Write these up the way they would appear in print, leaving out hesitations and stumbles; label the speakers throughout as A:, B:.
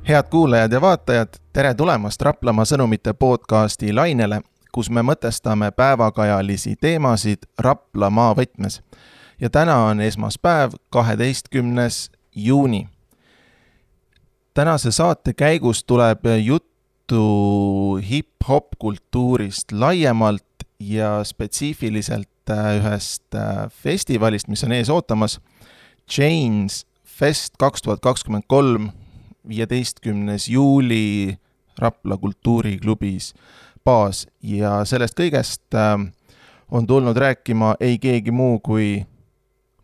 A: Head kuulajad ja vaatajad, tere tulemast Raplamaa sõnumite podcasti lainele, kus me mõtestame päevakajalisi teemasid Raplamaa võtmes. Ja täna on esmaspäev, 12. juuni. Tänase saate käigus tuleb juttu hip-hop kultuurist laiemalt ja spetsiifiliselt ühest festivalist, mis on ees ootamas. Chains Fest 2023, 15. juuli Rapla kultuuriklubis baas ja sellest kõigest on tulnud rääkima ei keegi muu kui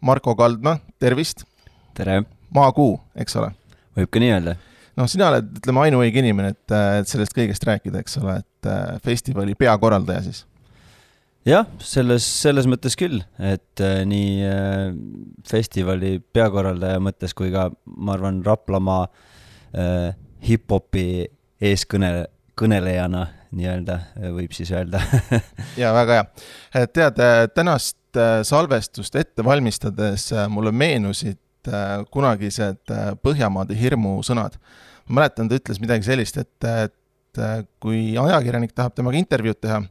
A: Marko Kaldma, tervist!
B: Tere!
A: Maakuu, eks ole?
B: Võib ka nii öelda?
A: No sina oled, ütleme, ainuõige inimene, et sellest kõigest rääkida, eks ole, et festivali peakorraldaja siis.
B: Jah, selles mõttes küll, et nii festivali peakorraldaja mõttes kui ka, ma arvan, Raplamaa hip-hopi eeskõnelejana nii-öelda, võib siis öelda.
A: Ja väga hea. Tead, tänast salvestust ette valmistades mulle meenusid kunagised Põhjamaade hirmu sõnad. Ma mäletan, ta ütles midagi sellist, et kui ajakirjanik tahab temaga intervjuud teha,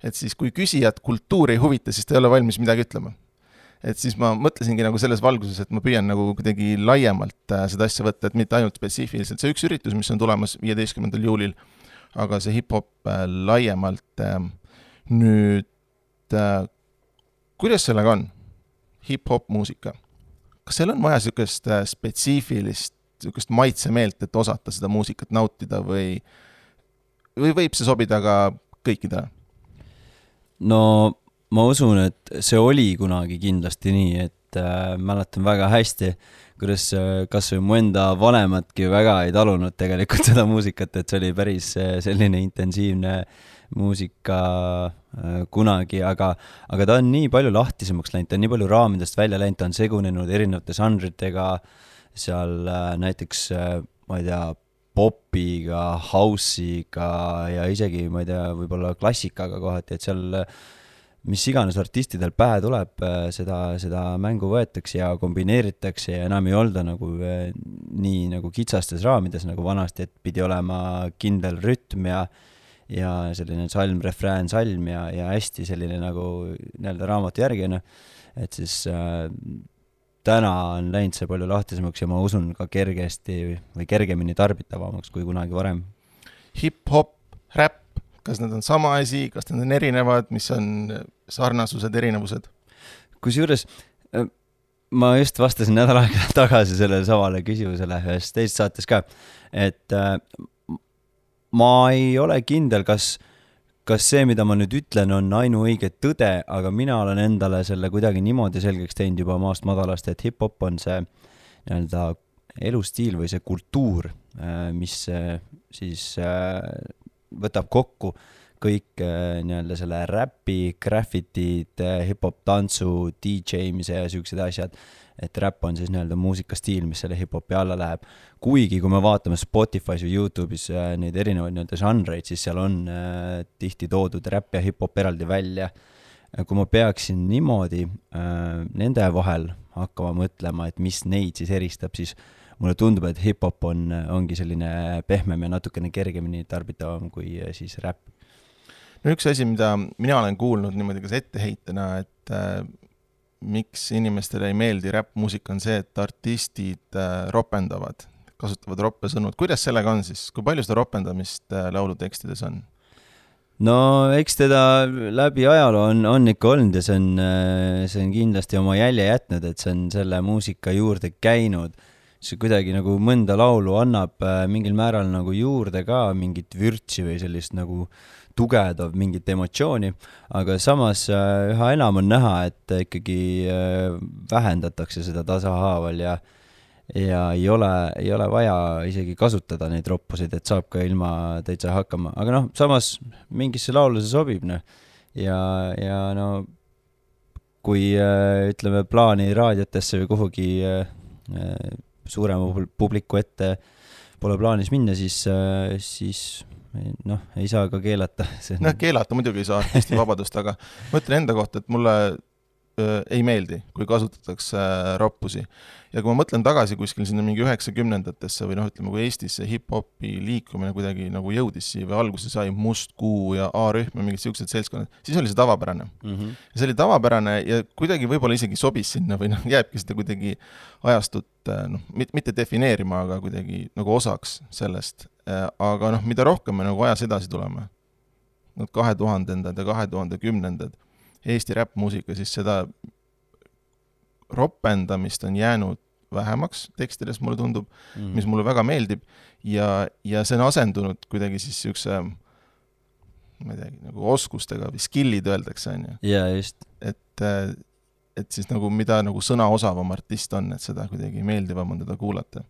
A: et siis kui küsijad kultuuri ei huvita, siis ta ei ole valmis midagi ütlema. Et siis ma mõtlesingi nagu selles valguses, et ma püüan nagu kuidagi laiemalt seda asja võtta, et mitte ainult spetsiifiliselt. See üks üritus, mis on tulemas 15. juulil, aga see hip-hop laiemalt. Nüüd, kuidas sellega on? Hip-hop muusika. Kas seal on vaja sellist spetsiifilist, sellist maitsemeelt, et osata seda muusikat nautida või võib see sobida ka kõikidele?
B: No ma usun, et see oli kunagi kindlasti nii, et mäletan väga hästi, kuidas kas või mu enda vanemadki väga ei talunud tegelikult seda muusikat, et see oli päris selline intensiivne muusika kunagi, aga ta on nii palju lahtisemaks läinud, ta on nii palju raamidest välja läinud, ta on segunenud erinevate žanritega, seal näiteks, ma ei tea, popiga, house'iga ja isegi, ma ei tea, võib-olla klassikaga kohati, et seal mis iganes artistidel pähe tuleb, seda mängu võetakse ja kombineeritakse ja enam ei olda nagu nii nagu kitsastes raamides nagu vanasti, et pidi olema kindel rütm ja selline salm, refrään, salm ja hästi selline nagu nii-öelda raamatu järgine, et siis täna on läinud see palju lahtisemaks ja ma usun ka kergesti või kergemini tarbitavamaks kui kunagi varem.
A: Hip-hop, rap, kas need on sama asi, kas need on erinevad, mis on sarnasused, erinevused?
B: Kusjuures, ma just vastasin nädal aega tagasi sellele samale küsimusele ühes teist saates ka, et ma ei ole kindel, kas see, mida ma nüüd ütlen, on ainuõige tõde, aga mina olen endale selle kuidagi niimoodi selgeks teinud juba maast madalast, et hip-hop on see nii-öelda elustiil või see kultuur, mis siis võtab kokku kõik nii-öelda selle räpi, graffitid, hip-hop tantsu, DJ-mise ja sellised asjad, et rap on siis nii-öelda muusikastiil, mis selle hip-hopi alla läheb. Kuigi, kui me vaatame Spotify's või YouTube'is neid erinevaid nii-öelda žanreid, siis seal on tihti toodud rap ja hip-hop eraldi välja. Kui ma peaksin niimoodi nende vahel hakkama mõtlema, et mis neid siis eristab, siis mulle tundub, et hip-hop ongi selline pehmem ja natukene kergemini tarbitavam kui siis rap.
A: No üks asi, mida mina olen kuulnud niimoodi kas etteheitena, et miks inimestele ei meeldi rap-muusika on see, et artistid ropendavad, kasutavad roppe sõnud. Kuidas sellega on siis? Kui palju seda ropendamist laulutekstides on?
B: No eks teda läbi ajaloo on ikka olnud ja see on kindlasti oma jälje jätnud, et see on selle muusika juurde käinud. See kuidagi nagu mõnda laulu annab mingil määral nagu juurde ka mingit vürtsi või sellist nagu tugevdav mingit emotsiooni, aga samas üha enam on näha, et ikkagi vähendatakse seda tasahaaval ja ei ole vaja isegi kasutada neid roppusid, et saab ka ilma täitsa hakkama. Aga noh, samas mingisse laulu see sobib. No. Ja no, kui ütleme plaani raadiotesse või kuhugi suurema publiku ette pole plaanis minna, siis noh, ei saa ka keelata.
A: Keelata muidugi ei saa artisti vabadust, aga ma ütlen enda kohta, et mulle ei meeldi, kui kasutatakse roppusi. Ja kui ma mõtlen tagasi kuskil sinna mingi 90-ndatesse või ütleme, kui Eestis see hip-hopi liikumine kuidagi nagu jõudis siia või alguse sai Must Kuu ja A-rühm ja mingid siuksed seltskonnad, siis oli see tavapärane. Ja see oli tavapärane ja kuidagi võib-olla isegi sobis sinna või jääbki seda kuidagi ajastut mitte defineerima, aga kuidagi nagu osaks sellest. Aga mida rohkem me nagu ajas edasi tuleme, 2000-ndad ja 2010-ndad Eesti räppmuusika, siis seda ropendamist on jäänud vähemaks tekstides, mulle tundub, mis mulle väga meeldib ja see on asendunud kuidagi siis siukse, ma ei teagi, nagu oskustega või skillid öeldakse, on ju.
B: Ja just.
A: Et siis nagu mida nagu sõnaosavam artist on, et seda kuidagi meeldivam on teda kuulata.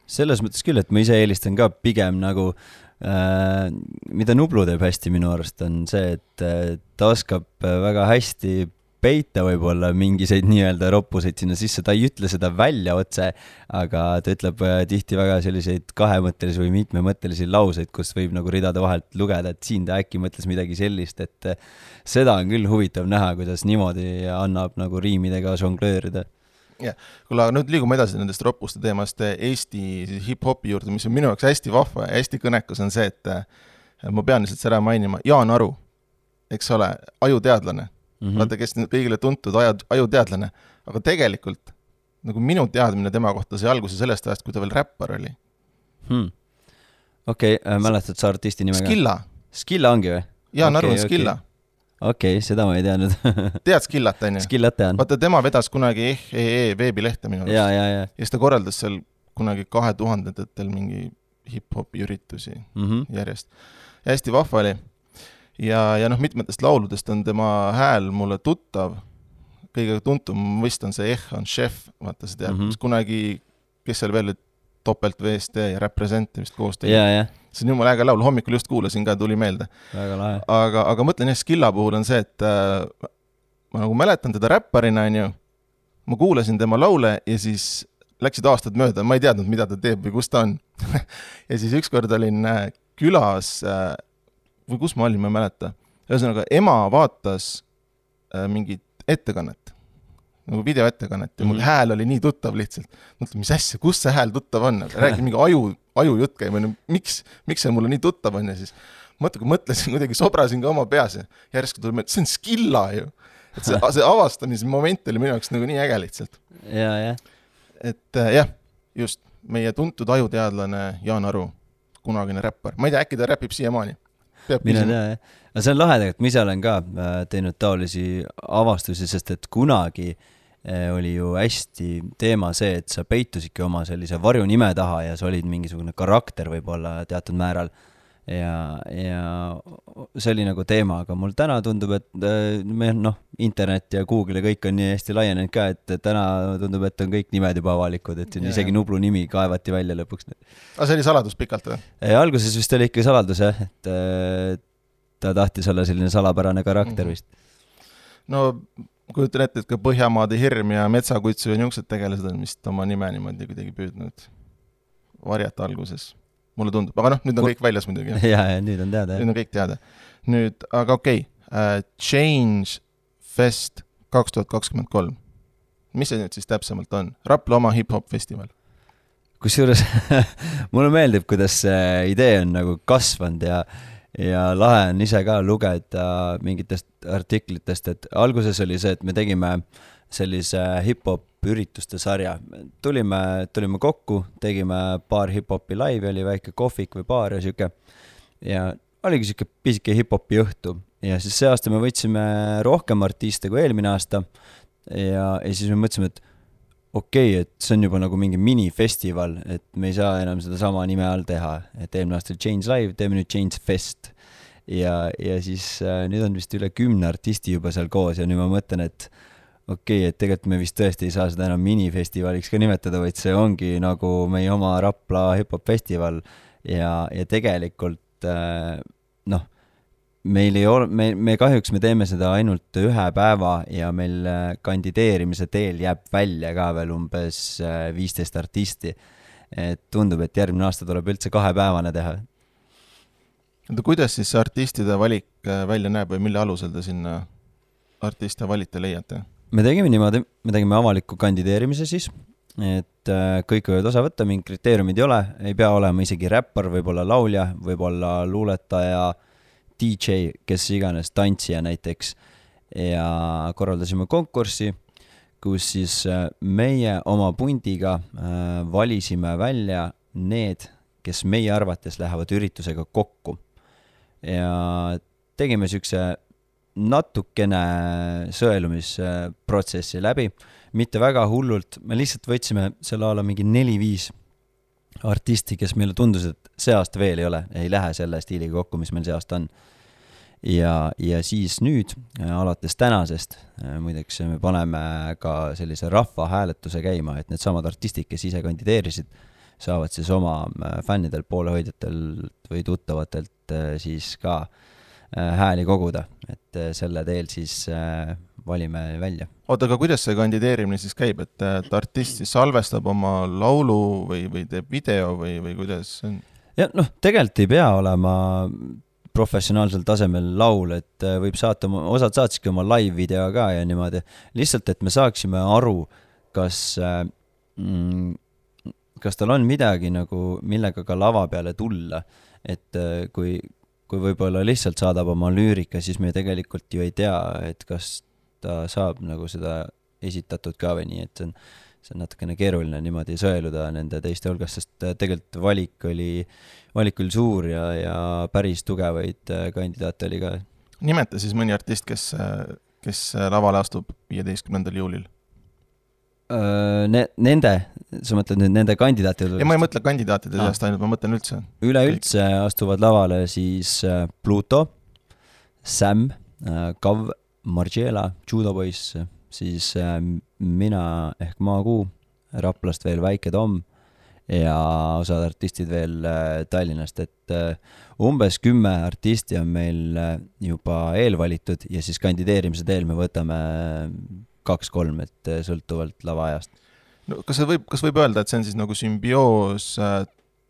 B: Selles mõttes küll, et ma ise eelistan ka pigem nagu mida Nublu teeb hästi minu arust on see, et ta oskab väga hästi peita võib-olla mingiseid nii-öelda roppuseid sinna sisse, ta ei ütle seda välja otse, aga ta ütleb tihti väga selliseid kahemõttelisi või mitmemõttelisi lauseid, kus võib nagu ridade vahelt lugeda, et siin ta äkki mõtles midagi sellist, et seda on küll huvitav näha, kuidas niimoodi annab nagu riimidega žonglöörida.
A: Ja, kuule, nüüd liigume edasi nendest roppuste teemast Eesti hip-hopi juurde, mis on minu jaoks hästi vahva ja hästi kõnekas on see, et ma pean lihtsalt seda mainima, Jaan Aru, eks ole, ajuteadlane, vaata, kes kõigile tuntud ajuteadlane, aga tegelikult nagu minu teadmine tema kohta sai alguse sellest ajast, kui ta veel räppar oli.
B: Okei, mäletad sa artisti nimega?
A: Skilla.
B: Skilla ongi või?
A: Jaan Aru on Skilla.
B: Okei, seda ma ei teadnud.
A: Tead Skillat, on ju?
B: Skillat tean.
A: Vaata, tema vedas kunagi veebilehte minu arust.
B: Ja.
A: Ja ta korraldas seal kunagi 2000-ndatel mingi hip-hopi üritusi järjest. Ja hästi vahva oli. Ja mitmetest lauludest on tema hääl mulle tuttav. Kõige tuntum vist on see on Chef, vaata see teab, kunagi, kes seal veel Topelt VST ja Represent vist koos tegi.
B: Ja.
A: See on jumala äge laul, hommikul just kuulasin ka, tuli meelde.
B: Väga lahe.
A: Aga mõtlen Skilla puhul on see, et ma nagu mäletan teda räpparina, on ju, ma kuulasin tema laule ja siis läksid aastad mööda, ma ei teadnud, mida ta teeb või kus ta on. Ja siis ükskord olin külas, või kus ma olin, ma ei mäleta. Ühesõnaga, ema vaatas mingit ettekannet, nagu videoettekannet ja mul hääl oli nii tuttav lihtsalt. Mõtlen, mis asja, kus see hääl tuttav on? Räägin mingi ajujutt käib, miks see mulle nii tuttav on ja siis mõtlesin, kuidagi sobrasin ka oma peas ja järsku tuli see on Skilla ju. Et see avastamise moment oli minu jaoks nagu nii äge lihtsalt.
B: Ja.
A: Et jah, just meie tuntud ajuteadlane Jaan Aru, kunagine räppar. Ma ei tea, äkki ta räpib siiamaani.
B: Mina tea, jah. Aga see on lahe tegelikult, ma ise olen ka teinud taolisi avastusi, sest et kunagi oli ju hästi teema see, et sa peitusidki oma sellise varjunime taha ja sa olid mingisugune karakter võib-olla teatud määral ja see oli nagu teema, aga mul täna tundub, et internet ja Google ja kõik on nii hästi laienenud ka, et täna tundub, et on kõik nimed juba avalikud, et isegi Nublu nimi kaevati välja lõpuks.
A: Aga see oli saladus pikalt või?
B: Alguses vist oli ikka saladus, jah, et ta tahtis olla selline salapärane karakter vist.
A: No kujutan ette, et ka Põhjamaade hirm ja Metsakutsu ja niisugused tegelased on vist oma nime niimoodi kuidagi püüdnud varjata alguses. Mulle tundub, aga nüüd on kõik väljas muidugi.
B: Ja, nüüd on teada.
A: Nüüd on kõik teada. Nüüd, aga okei, Change Fest 2023. Mis see nüüd siis täpsemalt on? Rapla oma hip-hop festival.
B: Kusjuures mulle meeldib, kuidas see idee on nagu kasvanud ja lahe on ise ka lugeda mingitest artiklitest, et alguses oli see, et me tegime sellise hip-hop ürituste sarja. Tulime kokku, tegime paar hip-hopi laivi, oli väike kohvik või baar ja siuke. Ja oligi siuke pisike hip-hopi õhtu. Ja siis see aasta me võtsime rohkem artiste kui eelmine aasta ja siis me mõtlesime, et okei, et see on juba nagu mingi minifestival, et me ei saa enam seda sama nime all teha, et eelmine aasta oli Change Live, teeme nüüd Change Fest ja siis nüüd on vist üle 10 artisti juba seal koos ja nüüd ma mõtlen, et okei, et tegelikult me vist tõesti ei saa seda enam minifestivaliks ka nimetada, vaid see ongi nagu meie oma Rapla hip-hop festival ja tegelikult meil ei ole, me kahjuks me teeme seda ainult 1 päeva ja meil kandideerimise teel jääb välja ka veel umbes 15 artisti. Et tundub, et järgmine aasta tuleb üldse 2 päevane teha.
A: Kuidas siis artistide valik välja näeb või mille alusel te sinna artiste valite leiate?
B: me tegime niimoodi, me tegime avaliku kandideerimise siis, et kõik võivad osa võtta, mingi kriteeriumid ei ole, ei pea olema isegi räppar, võib-olla laulja, võib-olla luuletaja, DJ, kes iganes, tantsija näiteks. Ja korraldasime konkurssi, kus siis meie oma pundiga valisime välja need, kes meie arvates lähevad üritusega kokku. Ja tegime sükse natukene sõelumisprotsessi läbi, mitte väga hullult, me lihtsalt võtsime selle ala mingi 4-5 artisti, kes meile tundus, et see aasta veel ei lähe selle stiiliga kokku, mis meil see aasta on. Ja siis nüüd, alates tänasest, muideks me paneme ka sellise rahva hääletuse käima, et need samad artistid, kes ise kandideerisid, saavad siis oma fännidel, poolehoidjatelt või tuttavatelt siis ka hääli koguda, et selle teel siis valime välja.
A: Oota, aga kuidas see kandideerimine siis käib, et artist siis salvestab oma laulu või teeb video või kuidas see on?
B: Ja tegelikult ei pea olema professionaalsel tasemel laul, et võib saata, osad saatsidki oma live video ka ja niimoodi. Lihtsalt, et me saaksime aru, kas tal on midagi nagu, millega ka lava peale tulla, et kui võib-olla lihtsalt saadab oma lüürika, siis me tegelikult ju ei tea, et kas ta saab nagu seda esitatud ka või nii, et see on natukene keeruline niimoodi sõeluda nende teiste hulgas, sest tegelikult valik oli suur ja päris tugevaid kandidaate oli ka.
A: Nimeta siis mõni artist, kes lavale astub 15. juulil?
B: Sa mõtled nüüd nende kandidaatide?
A: Ja ma ei mõtle kandidaatide seast ainult, ma mõtlen üldse.
B: Üleüldse astuvad lavale siis Pluto, Sam, Kav, Margiela, Judo Boys, siis mina ehk Maakuu, Raplast veel Väike Tom ja osad artistid veel Tallinnast, et umbes 10 artisti on meil juba eelvalitud ja siis kandideerimise teel me võtame 2-3, et sõltuvalt lavaajast.
A: No, kas võib öelda, et see on siis nagu sümbioos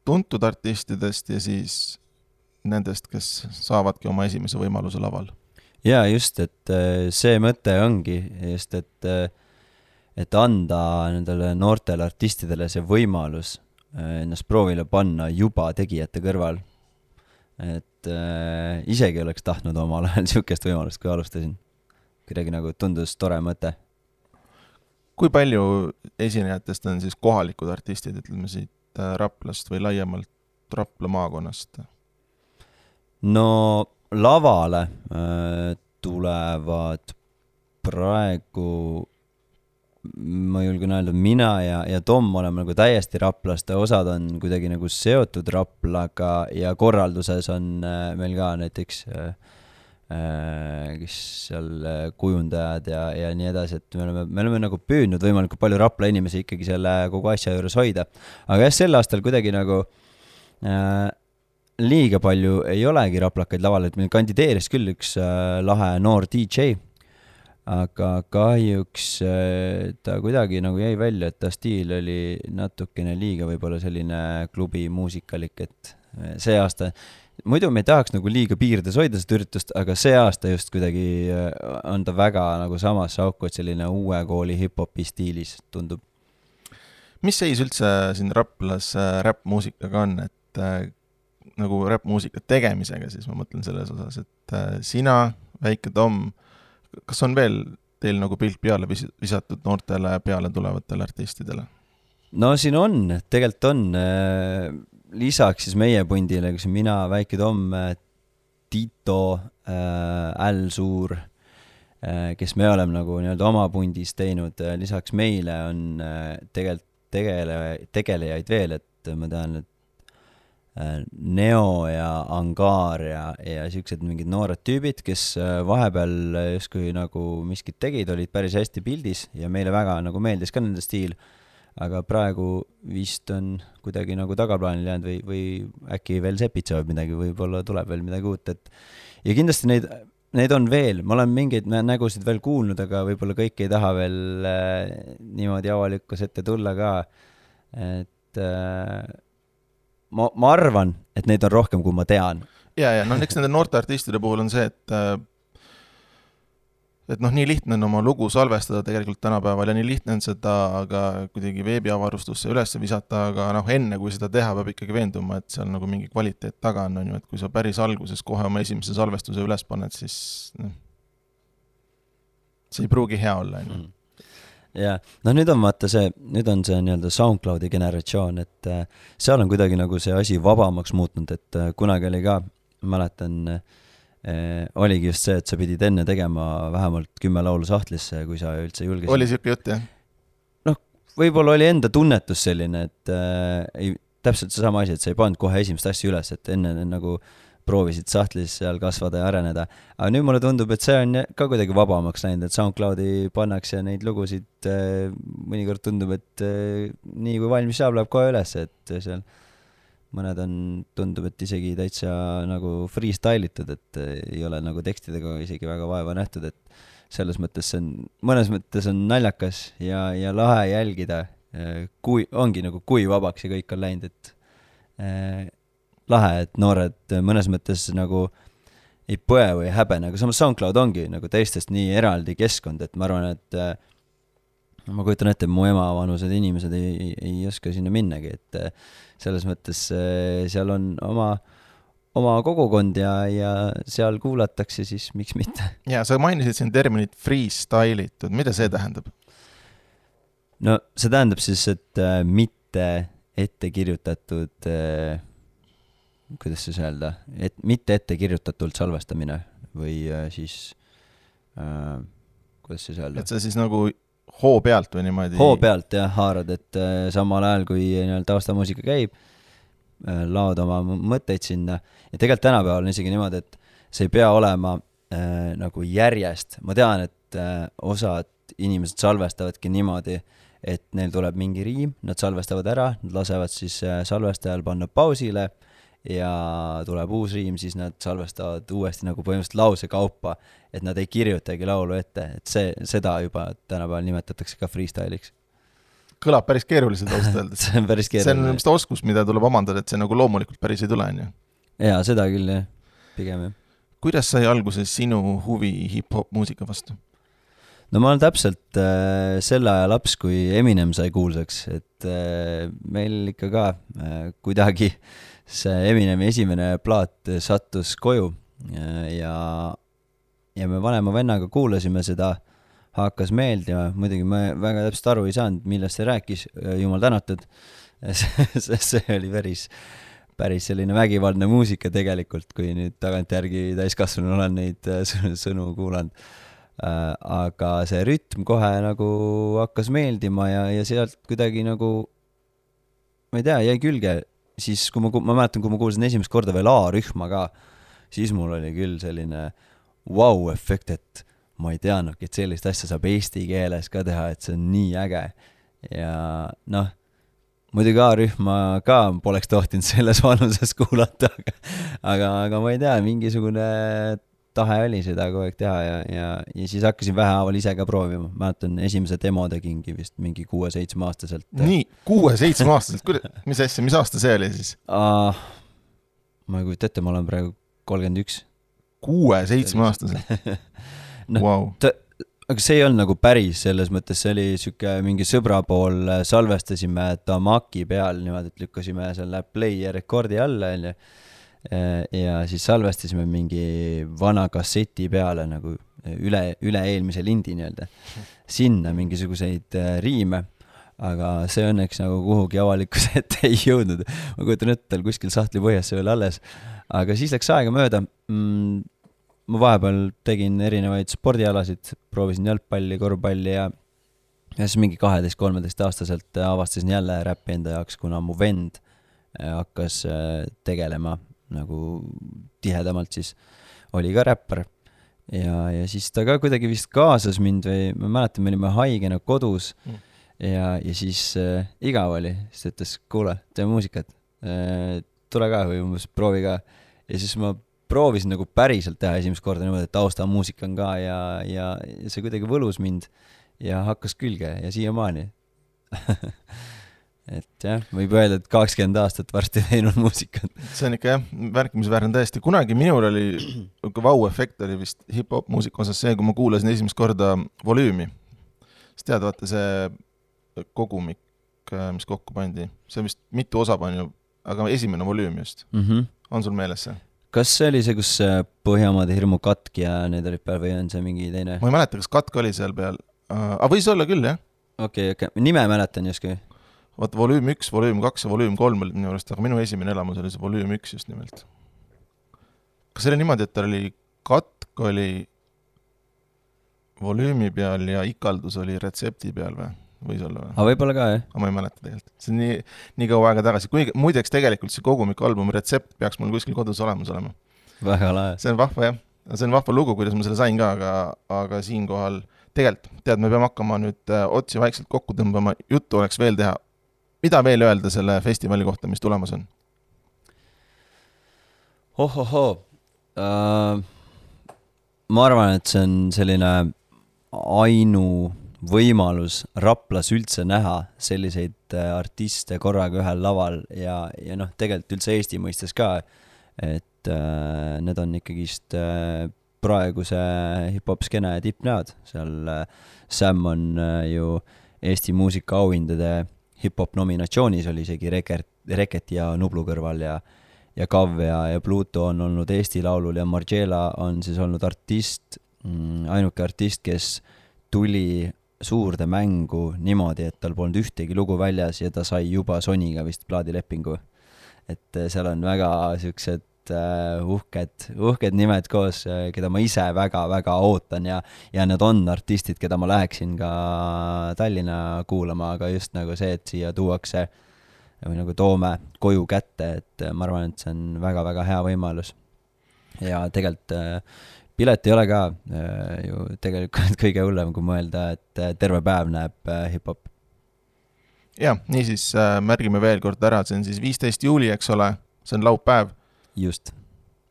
A: tuntud artistidest ja siis nendest, kes saavadki oma esimese võimaluse laval?
B: Ja just, et see mõte ongi just, et anda nendele noortele artistidele see võimalus ennast proovile panna juba tegijate kõrval. Et isegi oleks tahtnud omal ajal niisugust võimalust, kui alustasin. Kuidagi nagu tundus tore mõte.
A: Kui palju esinejatest on siis kohalikud artistid, ütleme siit Raplast või laiemalt Rapla maakonnast?
B: No lavale tulevad praegu, ma julgen öelda, mina ja Tom oleme nagu täiesti Raplast, osad on kuidagi nagu seotud Raplaga ja korralduses on meil ka näiteks kes seal kujundajad ja nii edasi, et me oleme nagu püüdnud võimalikult palju Rapla inimesi ikkagi selle kogu asja juures hoida. Aga jah, sel aastal kuidagi nagu liiga palju ei olegi raplakaid laval, et meil kandideeris küll üks lahe noor DJ, aga kahjuks ta kuidagi nagu jäi välja, et ta stiil oli natukene liiga võib-olla selline klubi muusikalik, et see aasta muidu me ei tahaks nagu liiga piirdes hoida seda üritust, aga see aasta just kuidagi on ta väga nagu samas auku, et selline uue kooli hip-hopi stiilis tundub.
A: Mis seis üldse siin Raplas rap-muusikaga on, et nagu rap-muusika tegemisega siis ma mõtlen selles osas, et sina, Väike Tom, kas on veel teil nagu pilt peale visatud noortele peale tulevatele artistidele?
B: No siin on, tegelikult on lisaks siis meie pundile, kus mina, Väike Tom, Tito, Äl Suur, kes me oleme nagu nii-öelda oma pundis teinud, lisaks meile on tegelikult tegelejaid veel, et ma tean, et Neo ja Angaar ja siuksed mingid noored tüübid, kes vahepeal justkui nagu miskit tegid, olid päris hästi pildis ja meile väga nagu meeldis ka nende stiil, aga praegu vist on kuidagi nagu tagaplaanil jäänud või äkki veel sepitsevad midagi, võib-olla tuleb veel midagi uut, et ja kindlasti neid on veel, ma olen mingeid nägusid veel kuulnud, aga võib-olla kõik ei taha veel niimoodi avalikkus ette tulla ka, et ma arvan, et neid on rohkem, kui ma tean.
A: Ja, eks nende noorte artistide puhul on see, et noh, nii lihtne on oma lugu salvestada tegelikult tänapäeval ja nii lihtne on seda ka kuidagi veebiavarustusse üles visata, aga noh, enne kui seda teha, peab ikkagi veenduma, et seal nagu mingi kvaliteet taga on ju, et kui sa päris alguses kohe oma esimese salvestuse üles paned, siis noh, see ei pruugi hea olla, on ju.
B: Ja noh, nüüd on vaata see nii-öelda SoundCloudi generatsioon, et seal on kuidagi nagu see asi vabamaks muutnud, et kunagi oli ka, mäletan, oligi just see, et sa pidid enne tegema vähemalt 10 laulu sahtlisse, kui sa üldse julgesid.
A: Oli siuke jutt, jah?
B: Noh, võib-olla oli enda tunnetus selline, et täpselt see sama asi, et sa ei pannud kohe esimest asja üles, et enne nagu proovisid sahtlis seal kasvada ja areneda. Aga nüüd mulle tundub, et see on ka kuidagi vabamaks läinud, et SoundCloudi pannakse neid lugusid, mõnikord tundub, et nii kui valmis saab, läheb kohe üles, et seal mõned tundub, et isegi täitsa nagu freestylitud, et ei ole nagu tekstidega isegi väga vaeva nähtud, et selles mõttes mõnes mõttes on naljakas ja lahe jälgida, ongi nagu kui vabaks ja kõik on läinud, et lahe, et noored mõnes mõttes nagu ei põe või häbene, aga samas SoundCloud ongi nagu teistest nii eraldi keskkond, et ma arvan, et ma kujutan ette, mu ema vanused inimesed ei oska sinna minnagi, et selles mõttes seal on oma kogukond ja seal kuulatakse, siis miks mitte.
A: Ja sa mainisid siin terminit freestylitud, mida see tähendab?
B: No see tähendab siis, et mitte ette kirjutatud, kuidas siis öelda, et mitte ette kirjutatult salvestamine või siis, kuidas siis öelda?
A: Et see siis nagu hoo pealt või niimoodi?
B: Hoo pealt jah, haarad, et samal ajal kui taustamuusika käib, laod oma mõtteid sinna ja tegelikult tänapäeval on isegi niimoodi, et see ei pea olema nagu järjest. Ma tean, et osad inimesed salvestavadki niimoodi, et neil tuleb mingi riim, nad salvestavad ära, nad lasevad siis salvestajal panna pausile ja tuleb uus riim, siis nad salvestavad uuesti nagu põhimõtteliselt lause kaupa, et nad ei kirjutagi laulu ette, et seda juba tänapäeval nimetatakse ka freestyliks.
A: Kõlab päris keeruliselt ausalt öeldes.
B: See on päris keeruline.
A: See on vist oskus, mida tuleb omandada, et see nagu loomulikult päris ei tule, on ju?
B: Jaa, seda küll, jah. Pigem, jah.
A: Kuidas sai alguses sinu huvi hip-hop muusika vastu?
B: No ma olen täpselt selle aja laps, kui Eminem sai kuulsaks, et meil ikka ka kuidagi see Eminemi esimene plaat sattus koju ja me vanema vennaga kuulasime seda, hakkas meeldima, muidugi ma väga täpselt aru ei saanud, millest see rääkis, jumal tänatud, see oli päris selline vägivaldne muusika tegelikult, kui nüüd tagantjärgi täiskasvanu olen neid sõnu kuulanud. Aga see rütm kohe nagu hakkas meeldima ja sealt kuidagi nagu, ma ei tea, jäi külge. Siis kui ma mäletan, kui ma kuulsin esimest korda veel A-rühma ka, siis mul oli küll selline wow-efekt, et ma ei teadnudki, et sellist asja saab eesti keeles ka teha, et see on nii äge. Ja noh, muidugi A-rühma ka poleks tohtinud selles vanuses kuulata, aga ma ei tea, mingisugune tahe oli seda kogu aeg teha ja siis hakkasin vähehaaval ise ka proovima. Mäletan, esimese demo tegingi vist mingi 6-7 aastaselt.
A: Nii, 6-7 aastaselt? Mis asja, mis aasta see oli siis?
B: Ma ei kujuta ette, ma olen praegu 31.
A: 6-7 aastaselt?
B: No, wow. Aga see ei olnud nagu päris, selles mõttes see oli süke mingi sõbra pool, salvestasime Tamaki peal niimoodi, et lükkasime selle play ja rekordi alla ja siis salvestasime mingi vana kasseti peale nagu üle eelmise lindi nii-öelda sinna mingisuguseid riime, aga see õnneks nagu kuhugi avalikkuse ette ei jõudnud. Ma kujutan ette, kuskil sahtli põhjas see oli alles, aga siis läks aega mööda. Ma vahepeal tegin erinevaid spordialasid, proovisin jalgpalli, korvpalli ja siis mingi 12-13 aastaselt avastasin jälle räppi enda jaoks, kuna mu vend hakkas tegelema nagu tihedamalt, siis oli ka räppar ja siis ta ka kuidagi vist kaasas mind või ma mäletan, me olime haigena kodus ja siis igav oli, siis ütles, kuule, tee muusikat, tule ka või umbes proovi ka ja siis ma proovisin nagu päriselt teha esimest korda niimoodi, et tausta muusika on ka ja see kuidagi võlus mind ja hakkas külge ja siiamaani. et jah, võib öelda, et 20 aastat varsti teinud muusikat.
A: See on ikka jah, märkimisväärne tõesti. Kunagi minul oli, vau-efekt oli vist hip-hop muusika osas see, kui ma kuulasin esimest korda volüümi. Siis tead, vaata see kogumik, mis kokku pandi. See vist mitu osa pani, aga esimene volüüm just. On sul meeles see?
B: Kas see oli see, kus Põhjamaade hirmu katk ja need olid peal või on see mingi teine?
A: Ma ei mäleta, kas katk oli seal peal. Aga võis olla küll, jah?
B: Okei. Nime mäletan justkui.
A: Vaata, volüüm 1, volüüm 2 ja volüüm 3 olid minu arust, aga minu esimene elamus oli see volüüm 1 just nimelt. Kas see oli niimoodi, et ta oli katk oli volüümi peal ja ikaldus oli retsepti peal või? Võis olla või?
B: Aga võib-olla ka, jah?
A: Aga ma ei mäleta tegelikult. See on nii kaua aega tagasi. Muideks tegelikult see kogumik-albumi retsept peaks mul kuskil kodus olemas olema.
B: Väga lahe.
A: See on vahva, jah. See on vahva lugu, kuidas ma selle sain ka, aga siinkohal tegelikult, tead, me peame hakkama nüüd otsi vaikselt kokku tõmbama. Juttu oleks veel teha. Mida veel öelda selle festivali kohta, mis tulemas on?
B: Ma arvan, et see on selline võimalus Raplas üldse näha selliseid artiste korraga ühel laval ja noh, tegelikult üldse Eesti mõistes ka, et need on ikkagist praeguse hip-hop-skene tippnäod. Seal Sam on ju Eesti muusika auhindade hip-hop nominatsioonis oli isegi Reket ja Nublu kõrval ja Kav ja Pluto on olnud Eesti laulul ja Margiela on siis olnud ainuke artist, kes tuli suurde mängu niimoodi, et tal polnud ühtegi lugu väljas ja ta sai juba Sonyga vist plaadilepingu. Et seal on väga siuksed uhked nimed koos, keda ma ise väga-väga ootan ja nad on artistid, keda ma läheksin ka Tallinna kuulama, aga just nagu see, et siia tuuakse või nagu toome koju kätte, et ma arvan, et see on väga-väga hea võimalus. Ja tegelikult pilet ei ole ka ju tegelikult kõige hullem, kui mõelda, et terve päev näeb hip-hop.
A: Ja, niisiis märgime veel kord ära, see on siis 15. juuli, eks ole, see on laupäev.
B: Just.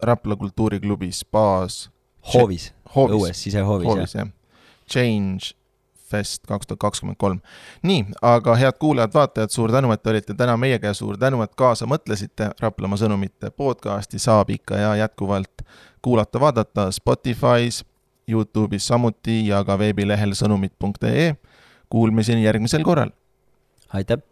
A: Rapla kultuuriklubis baas
B: Hoovis. Õues, sisehoovis,
A: jah. Change Fest 2023. Nii, aga head kuulajad, vaatajad, suur tänu, et olite täna meiega ja suur tänu, et kaasa mõtlesite. Raplamaa sõnumite podcasti saab ikka ja jätkuvalt kuulata, vaadata Spotify's, YouTube'is samuti ja ka veebilehel sõnumid.ee. Kuulmiseni järgmisel korral.
B: Aitäh!